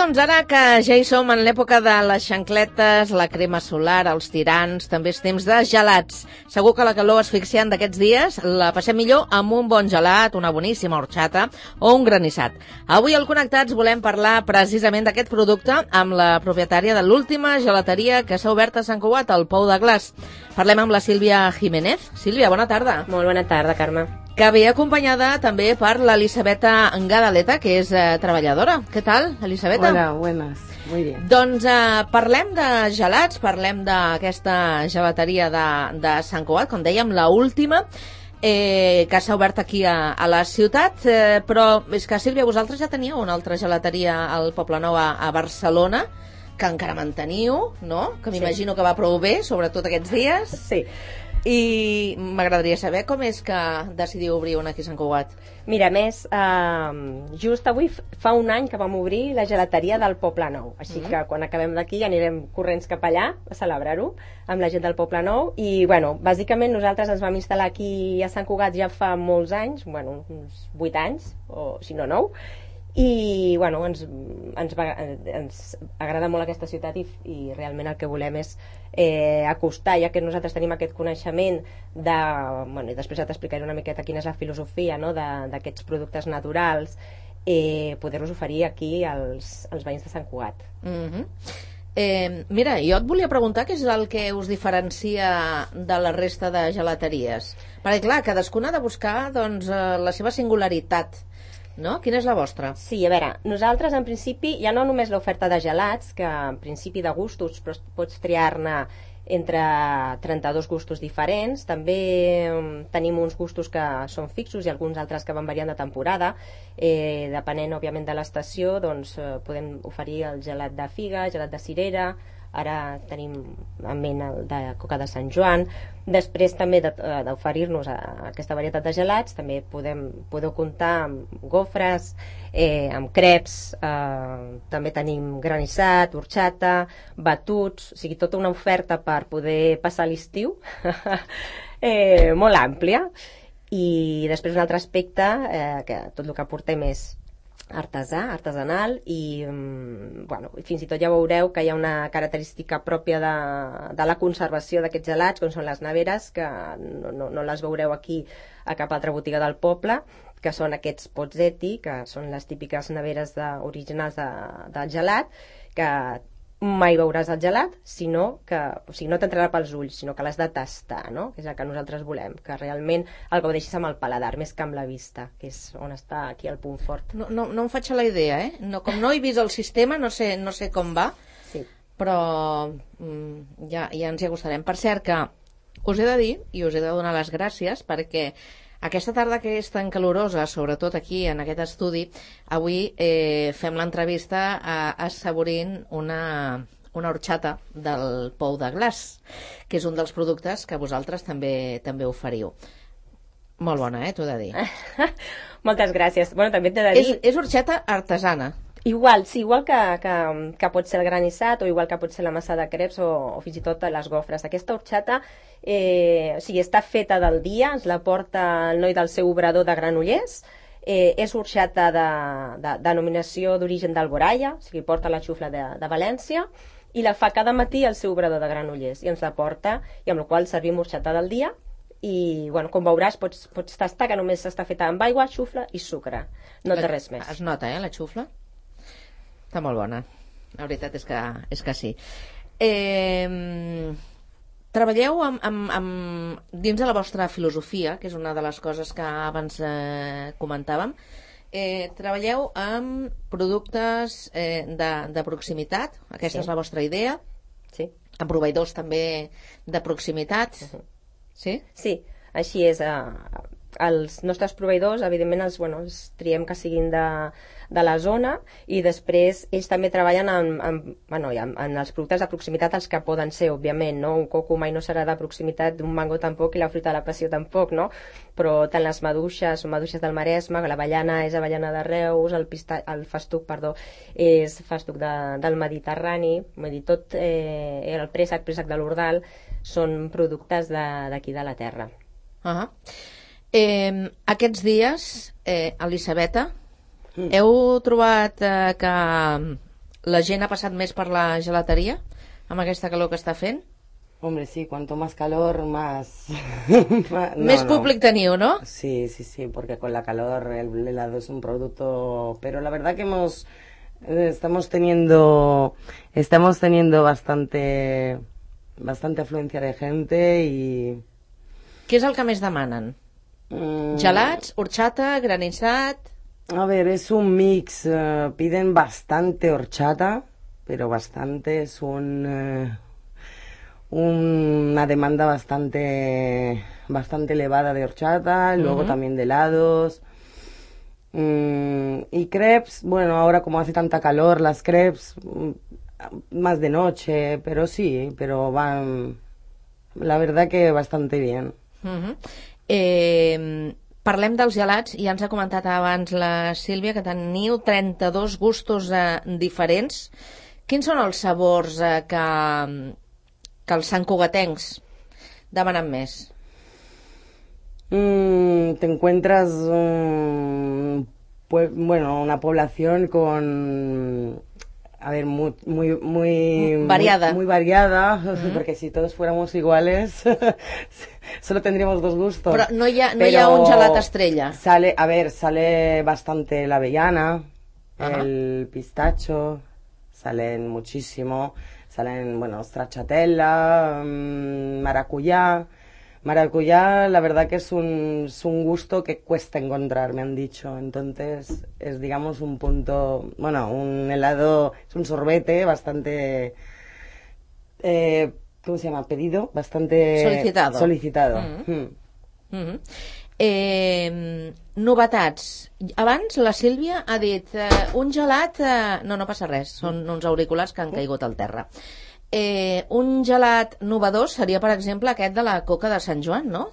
Doncs ara que ja hi som en l'època de les xancletes, la crema solar, els tirants, també és temps de gelats. Segur que la calor asfixiant d'aquests dies la passem millor amb un bon gelat, una boníssima horchata o un granissat. Avui al Connectats volem parlar precisament d'aquest producte amb la propietària de l'última gelateria que s'ha obert a Sant Cugat, al Pou de Glaç. Parlem amb la Sílvia Jiménez. Sílvia, bona tarda. Molt bona tarda, Carme. Que ve acompanyada també per l'Elisabeta Gadaleta, que és treballadora. Què tal, Elisabeta? Hola, buenas. Muy bien. Doncs parlem de gelats, parlem d'aquesta gelateria de Sant Cugat, com dèiem, la última, que s'ha obert aquí a la ciutat, però és que, Sílvia, vosaltres ja teníeu una altra gelateria al Poblenou a Barcelona, que encara manteniu, no? Que m'imagino que va prou bé, sobretot aquests dies. Sí. I m'agradaria saber com és que decidiu obrir una aquí a Sant Cugat. Mira, més, just avui fa un any que vam obrir la gelateria del Poblenou, així que quan acabem d'aquí anirem corrents cap allà a celebrar-ho amb la gent del Poblenou. I, bueno, bàsicament nosaltres ens vam instal·lar aquí a Sant Cugat ja fa molts anys, bueno, uns 8 anys, o si no 9, i bueno, ens agrada molt aquesta ciutat i realment el que volem és acostar, ja que nosaltres tenim aquest coneixement de, bueno, i després ja t'explicaré una miqueta quina és la filosofia, no?, d'aquests productes naturals, poder-los oferir aquí als veïns de Sant Cugat. Mira, jo et volia preguntar què és el que us diferencia de la resta de gelateries, perquè clar, cadascuna ha de buscar doncs, la seva singularitat, no? Quina és la vostra? Sí, a veure, nosaltres en principi ja no només l'oferta de gelats, que en principi de gustos però pots triar-ne entre 32 gustos diferents, també tenim uns gustos que són fixos i alguns altres que van variant de temporada, depenent òbviament de l'estació, doncs podem oferir el gelat de figa, gelat de cirera, ara tenim en ment el de coca de Sant Joan. Després també d'oferir-nos aquesta varietat de gelats també podeu comptar amb gofres, amb creps, també tenim granissat, horchata, batuts, o sigui, tota una oferta per poder passar l'estiu molt àmplia. I després un altre aspecte, que tot el que portem és artesanal i bueno, fins i tot ja veureu que hi ha una característica pròpia de la conservació d'aquests gelats, com són les neveres, que no les veureu aquí a cap altra botiga del poble, que són aquests pozzetti, que són les típiques neveres originals del gelat, que mai veuràs el gelat, sinó que, o sigui, no t'entrarà pels ulls, sinó que l'has de tastar, no? Que és el que nosaltres volem, que realment el gaudeixis amb el paladar, més que amb la vista, que és on està aquí el punt fort. No em faig a la idea, no, com no he vist el sistema, no sé com va, sí. Però ja ens hi acostarem. Per cert, que us he de dir, i us he de donar les gràcies, perquè aquesta tarda que és tan calorosa, sobretot aquí en aquest estudi, avui fem l'entrevista assaborint una horchata del Pou de Glaç, que és un dels productes que vosaltres també oferiu. Molt bona, t'ho he de dir. Moltes gràcies. Bueno, també t'he de dir... És horchata artesana. Igual que pot ser el granissat o igual que pot ser la massa de creps o fins i tot les gofres. Aquesta horchata o sigui, està feta del dia, ens la porta el noi del seu obrador de Granollers, és horchata de denominació d'origen d'Alboraya, o sigui, porta la xufla de València i la fa cada matí el seu obrador de Granollers i ens la porta, i amb la qual servim horchata del dia. I bueno, com veuràs pots tastar que només està feta amb aigua, xufla i sucre, no té res més. Es nota, la xufla? Està molt bona, la veritat és que sí. Treballeu dins de la vostra filosofia, que és una de les coses que abans comentàvem, treballeu amb productes de proximitat, aquesta és la vostra idea, sí. Amb proveïdors també de proximitat, sí? Sí, així és. Els nostres proveïdors, evidentment, els triem que siguin de la zona, i després ells també treballen en els productes de proximitat, els que poden ser, òbviament, no? Un coco mai no serà de proximitat, un mango tampoc, i la fruita de la passió tampoc, no? Però tant les maduixes són maduixes del Maresme, l'avellana és avellana de Reus, el festuc, és festuc del Mediterrani, vull dir, tot el préssec de l'Ordal són productes d'aquí de la terra. Aquests dies, Elisabeta, heu trobat que la gent ha passat més per la gelateria amb aquesta calor que està fent? Hombre, sí, cuanto más calor, más... Més públic teniu, ¿no? Sí, porque con la calor el helado es un producto... Pero la verdad que estamos teniendo bastante afluencia de gente y... Què és el que més demanen? Gelats, horchata, granizat... A ver, es un mix. Piden bastante horchata, pero bastante. Es una demanda bastante elevada de horchata, luego también de helados. Y crepes, bueno, ahora como hace tanta calor, las crepes más de noche, pero sí, pero van, la verdad que bastante bien. Parlem dels gelats, ja ens ha comentat abans la Sílvia que teniu 32 gustos diferents. Quins són els sabors que els santcugatencs demanen més? Te encuentras una población con, a ver, muy variada, muy variada, porque si todos fuéramos iguales solo tendríamos dos gustos. Pero no hi ha un gelat estrella. Sale bastante la avellana, el pistacho, salen muchísimo, stracciatella, maracuyá. Maracuyá, la verdad que es un gusto que cuesta encontrar, me han dicho. Entonces, es, digamos, un punto... Bueno, un helado, es un sorbete bastante... ¿cómo se llama? Pedido, bastante... Solicitado. Novetats. Abans la Sílvia ha dit un gelat... No passa res, són uns auriculars que han caigut al terra. Un gelat novedós sería, por ejemplo, aquest de la coca de Sant Joan, ¿no?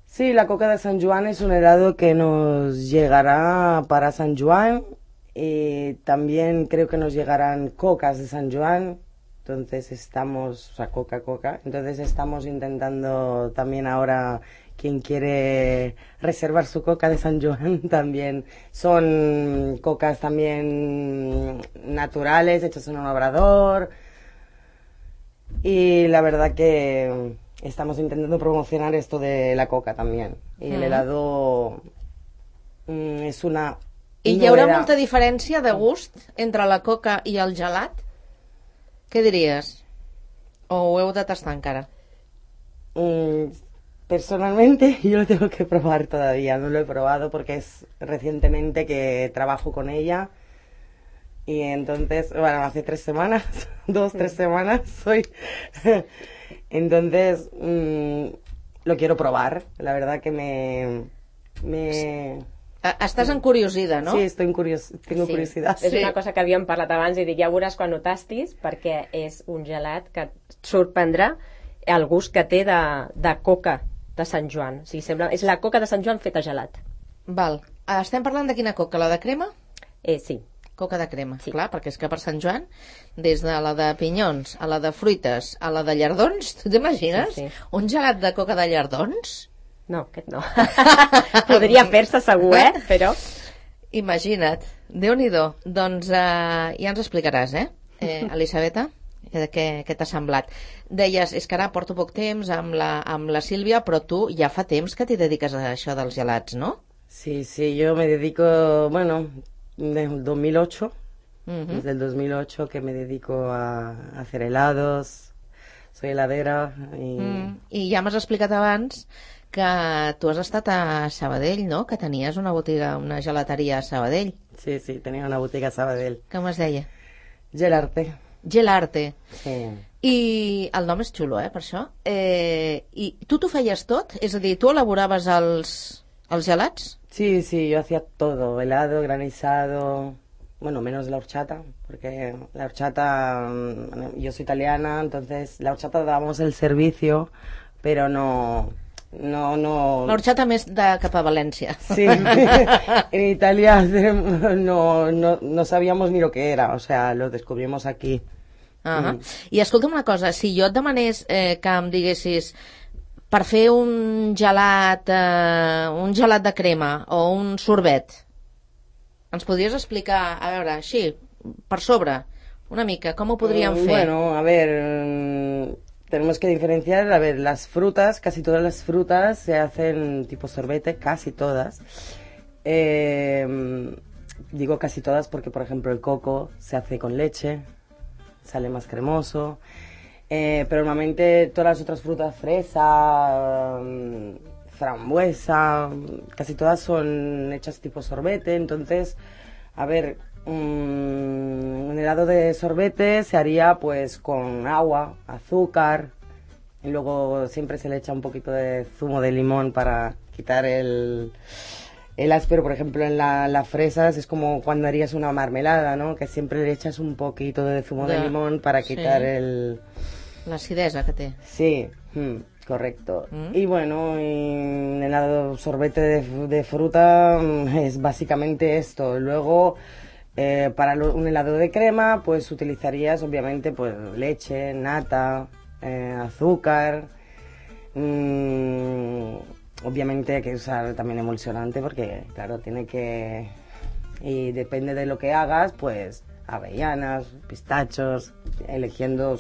Sí, la coca de Sant Joan es un helado que nos llegará para San Juan y también creo que nos llegarán cocas de San Juan. Entonces entonces estamos intentando también ahora, quien quiere reservar su coca de San Juan también. Son cocas también naturales, hechas en un obrador. Y la verdad que estamos intentando promocionar esto de la coca también. Y el helado es una... I hi haurà molta diferència de gust entre la coca i el gelat? Què diries? O ho heu de tastar encara? Personalmente yo lo tengo que probar todavía. No lo he probado porque es recientemente que trabajo con ella. Y entonces, bueno, hace 3 semanas, 2-3 semanas soy. Entonces, lo quiero probar. La verdad que me... Estàs encuriosida, no? Sí, tengo curiosidad. És una cosa que havíem parlat abans i dic, ja veuràs quan ho tastis, perquè és un gelat que et sorprendrà el gust que té de coca de Sant Joan. O sigui, és la coca de Sant Joan feta gelat. Val. Estem parlant de quina coca? La de crema? Sí. Coca de crema, sí. Clar, perquè és que per Sant Joan, des de la de pinyons, a la de fruites, a la de llardons, tu t'imagines? Sí. Un gelat de coca de llardons? No, aquest no. Podria fer-se segur, però... Imagina't. Déu-n'hi-do. Doncs ja ens explicaràs, Elisabeta? Què t'ha semblat? Deies, és que ara porto poc temps amb la Sílvia, però tu ja fa temps que t'hi dediques a això dels gelats, no? Sí, yo me dedico, bueno, desde el 2008, desde el 2008 que me dedico a hacer helados, soy heladera I ja m'has explicat abans que tu has estat a Sabadell, no? Que tenies una botiga, una gelateria a Sabadell. Sí, tenía una botiga a Sabadell. Com es deia? Gelarte. Gelarte. Sí. I el nom és xulo, per això. I tu t'ho feies tot? És a dir, tu elaboraves els gelats? Sí, yo hacía todo, helado, granizado, bueno, menos la horchata, porque la horchata, yo soy italiana, entonces la horchata dábamos el servicio, pero no... La horchata més de cap a València. Sí, en Italia no sabíamos ni lo que era, o sea, lo descubrimos aquí. I escolta'm una cosa, si jo et demanés que em diguessis per fer un gelat de crema o un sorbet, ens podries explicar, a veure, així, per sobre, una mica, com ho podríem fer? Bueno, a ver, tenemos que diferenciar, a ver, las frutas, casi todas las frutas se hacen tipo sorbete, casi todas. Digo casi todas porque, por ejemplo, el coco se hace con leche, sale más cremoso. Pero normalmente todas las otras frutas, fresa, frambuesa, casi todas son hechas tipo sorbete. Entonces, a ver, un helado de sorbete se haría pues con agua, azúcar, y luego siempre se le echa un poquito de zumo de limón para quitar el áspero. Por ejemplo, en las fresas es como cuando harías una marmelada, ¿no? Que siempre le echas un poquito de zumo de limón para quitar la acidesa que té. Sí, correcto. Y bueno, un helado sorbete de fruta es básicamente esto. Luego, para un helado de crema, pues utilizarías obviamente pues leche, nata, azúcar. Obviamente hay que usar también emulsionante porque, claro, tiene que... Y depende de lo que hagas, pues avellanas, pistachos, eligiendo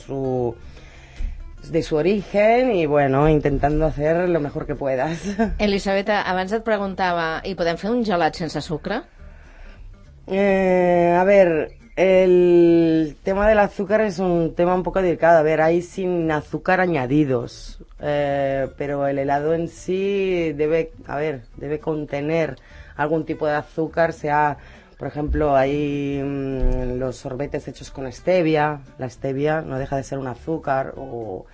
de su origen y, bueno, intentando hacer lo mejor que puedas. Elisabeta, abans et preguntava, i podem fer un gelat sense sucre? A ver, el tema del azúcar es un tema un poco delicado. A ver, hay sin azúcar añadidos, pero el helado en sí debe contener algún tipo de azúcar, sea, por ejemplo, hay los sorbetes hechos con stevia. La stevia no deja de ser un azúcar o...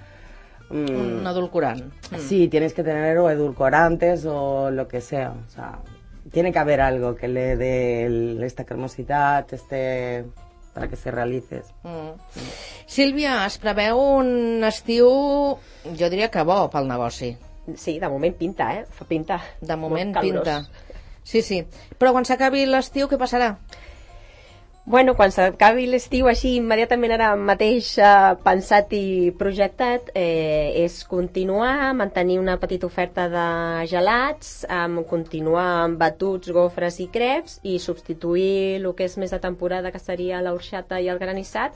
un edulcorant. Sí, tienes que tener o edulcorantes o lo que sea. O sea, tiene que haber algo que le dé esta cremosidad, para que se realices. Sílvia, es preveu un estiu, jo diria que bo pel negoci. Sí, de moment pinta, fa pinta. De moment pinta. Sí, sí. Però quan s'acabi l'estiu, què passarà? Bueno, quan s'acabi l'estiu, així immediatament ara mateix pensat i projectat, és continuar, mantenir una petita oferta de gelats, continuar amb batuts, gofres i creps i substituir el que és més de temporada, que seria l'orxata i el granissat,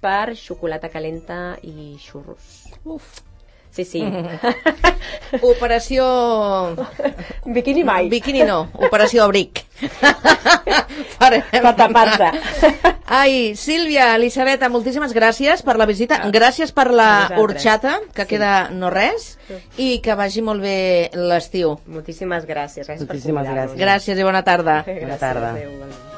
per xocolata calenta i xurros. Uf! Sí, sí. Operació... Biquini mai. Biquini no, operació abric. Per tapar-se. Ai, Sílvia, Elisabeta, moltíssimes gràcies per la visita, gràcies per la horchata, que queda no res, i que vagi molt bé l'estiu. Moltíssimes gràcies. Moltíssimes gràcies. Gràcies i bona tarda. Bona tarda. Adéu.